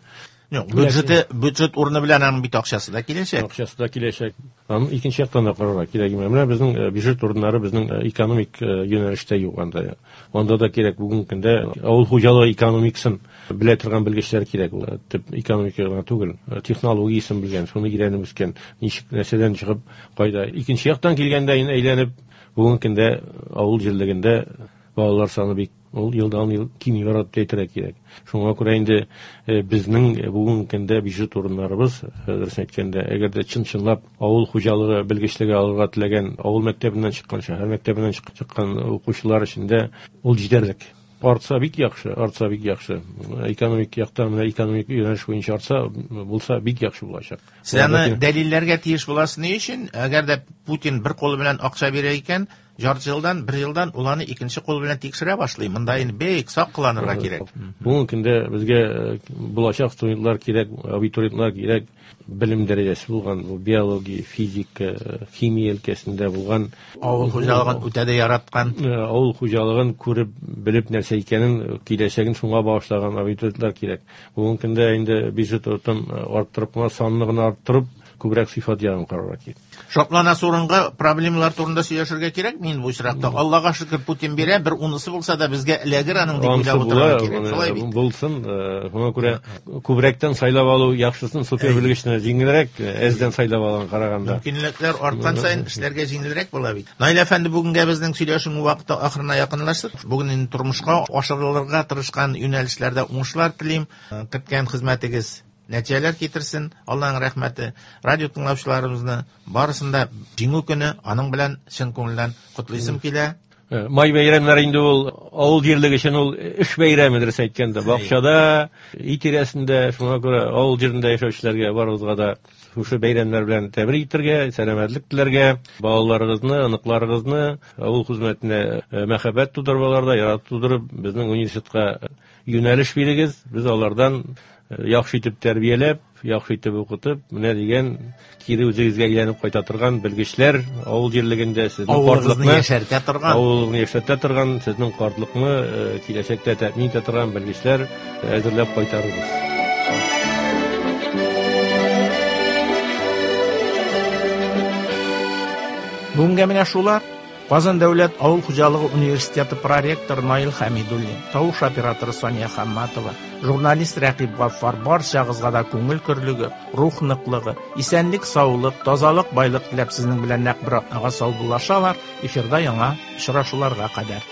Юк, бюджеты, бюджет урыны белән аның бит акчасы да киләчәк. Акчасы да киләчәк. Аны икенче яктан да карарга кирәк. Менә безнең бюджет урыннары безнең экономик юнәлештә юк анда. Анда да кирәк бүгенге көндә авыл хуҗалыгы экономикасын белә торган белгечләр кирәк. Ул төп экономика гына түгел, технологиясен белгән, шуны өйрәнеп үскән, ничек нәрсәдән чыгып кайда. Икенче яктан килгәндә инде әйләнеп бүгенге көндә авыл җирлегендә балалар саны бик ул елдан ел кими бара дип әйтергә кирәк. Шуңа күрә инде безнең бүгенге көндә бюджет урыннарыбыз, дөрес әйткәндә, әгәр дә чын-чынлап авыл хуҗалыгы белгечлеге алырга теләгән авыл мәктәбеннән чыккан, шәһәр мәктәбеннән чыккан укучылар өчен дә ул җитәрлек. Артса бик яхшы, артса бик яхшы. Экономик яктан, менә экономик юнәлеш буенча артса булса бик яхшы булачак. Сез аны дәлилләргә тиеш буласыз ни өчен? Әгәр дә Путин бер кулы белән акча бирә икән, жарты елдан, бер елдан ул аны икенче кул белән тикшерә башлый. Монда инде бик сак кыланырга кирәк. Бүгенге көндә безгә булачак студентлар кирәк, абитуриентлар кирәк, белем дәрәҗәсе булган, бу биология, физика, химия өлкәсендә булган, авыл хуҗалыгын үтә дә яраткан, авыл хуҗалыгын күреп, белеп нәрсә икәнен, киләчәген шуңа багышлаган абитуриентлар кирәк. Бүгенге көндә инде бюджет урынын арттырып, санны гына арттырып, күбрәк сыйфат ягын карарга кирәк. Шатланасы урынга проблемалар турында сөйләшергә кирәк мин бу очракта. Аллага шөкер, Путин бирә, бер унысы булса да безгә эләгер аның дип уйлап утырырга кирәк. Шулай бит. Булсын, шуңа күрә күбрәктән сайлап алу яхшысын, супер белгечне җиңелрәк, әздән сайлап алган караганда. Мөмкинлекләр арткан саен эшләргә җиңелрәк була бит. Наил әфәнде, бүгенгә безнең сөйләшү вакыты ахырына якынлашты. Бүген инде тормышка ашырылырга тырышкан юнәлешләрдә уңышлар телим. Көткән хезмәтегез нәтиҗәләр китерсен, Аллаһның рәхмәте. Радио тыңлаучыларыбызны барысын да Җиңү көне аның белән чын күңелдән котлыйсым килә. Май бәйрәмнәре инде ул авыл җирлеге өчен ул эш бәйрәме, дөрес әйткәндә, бакчада, өй тирәсендә, шуңа күрә авыл җирендә яшәүчеләргә барыбызга да шушы бәйрәмнәр белән тәбрик итәргә, сәламәтлек теләргә, балаларыгызны, оныкларыгызны авыл хезмәтенә мәхәббәт тудырып, аларда ярату тудырып, безнең университетка юнәлеш бирегез. Без алардан яхшы итеп тәрбияләп, яхшы итеп укытып, менә дигән кире үзегезгә әйләнеп кайта торган белгечләр авыл җирлегендә сезнең картлыкны яшәртә торган, авылны яшәртә торган, сезнең картлыкны киләчәктә тәэмин итә торган белгечләр әзерләп кайтарырбыз. Бүгенгә менә шулар. Казан дәүләт авыл хуҗалыгы университеты проректоры Наил Хәмидуллин, тавыш операторы Сания Хамматова, журналист Рәкыйп Гаффар барчагызга да күңел көрлеге, рух ныклыгы, исәнлек, саулык, тазалык, байлык теләп сезнең белән нәкъ бер атнага саубуллашалар. Эфирда яңа очрашуларга кадәр.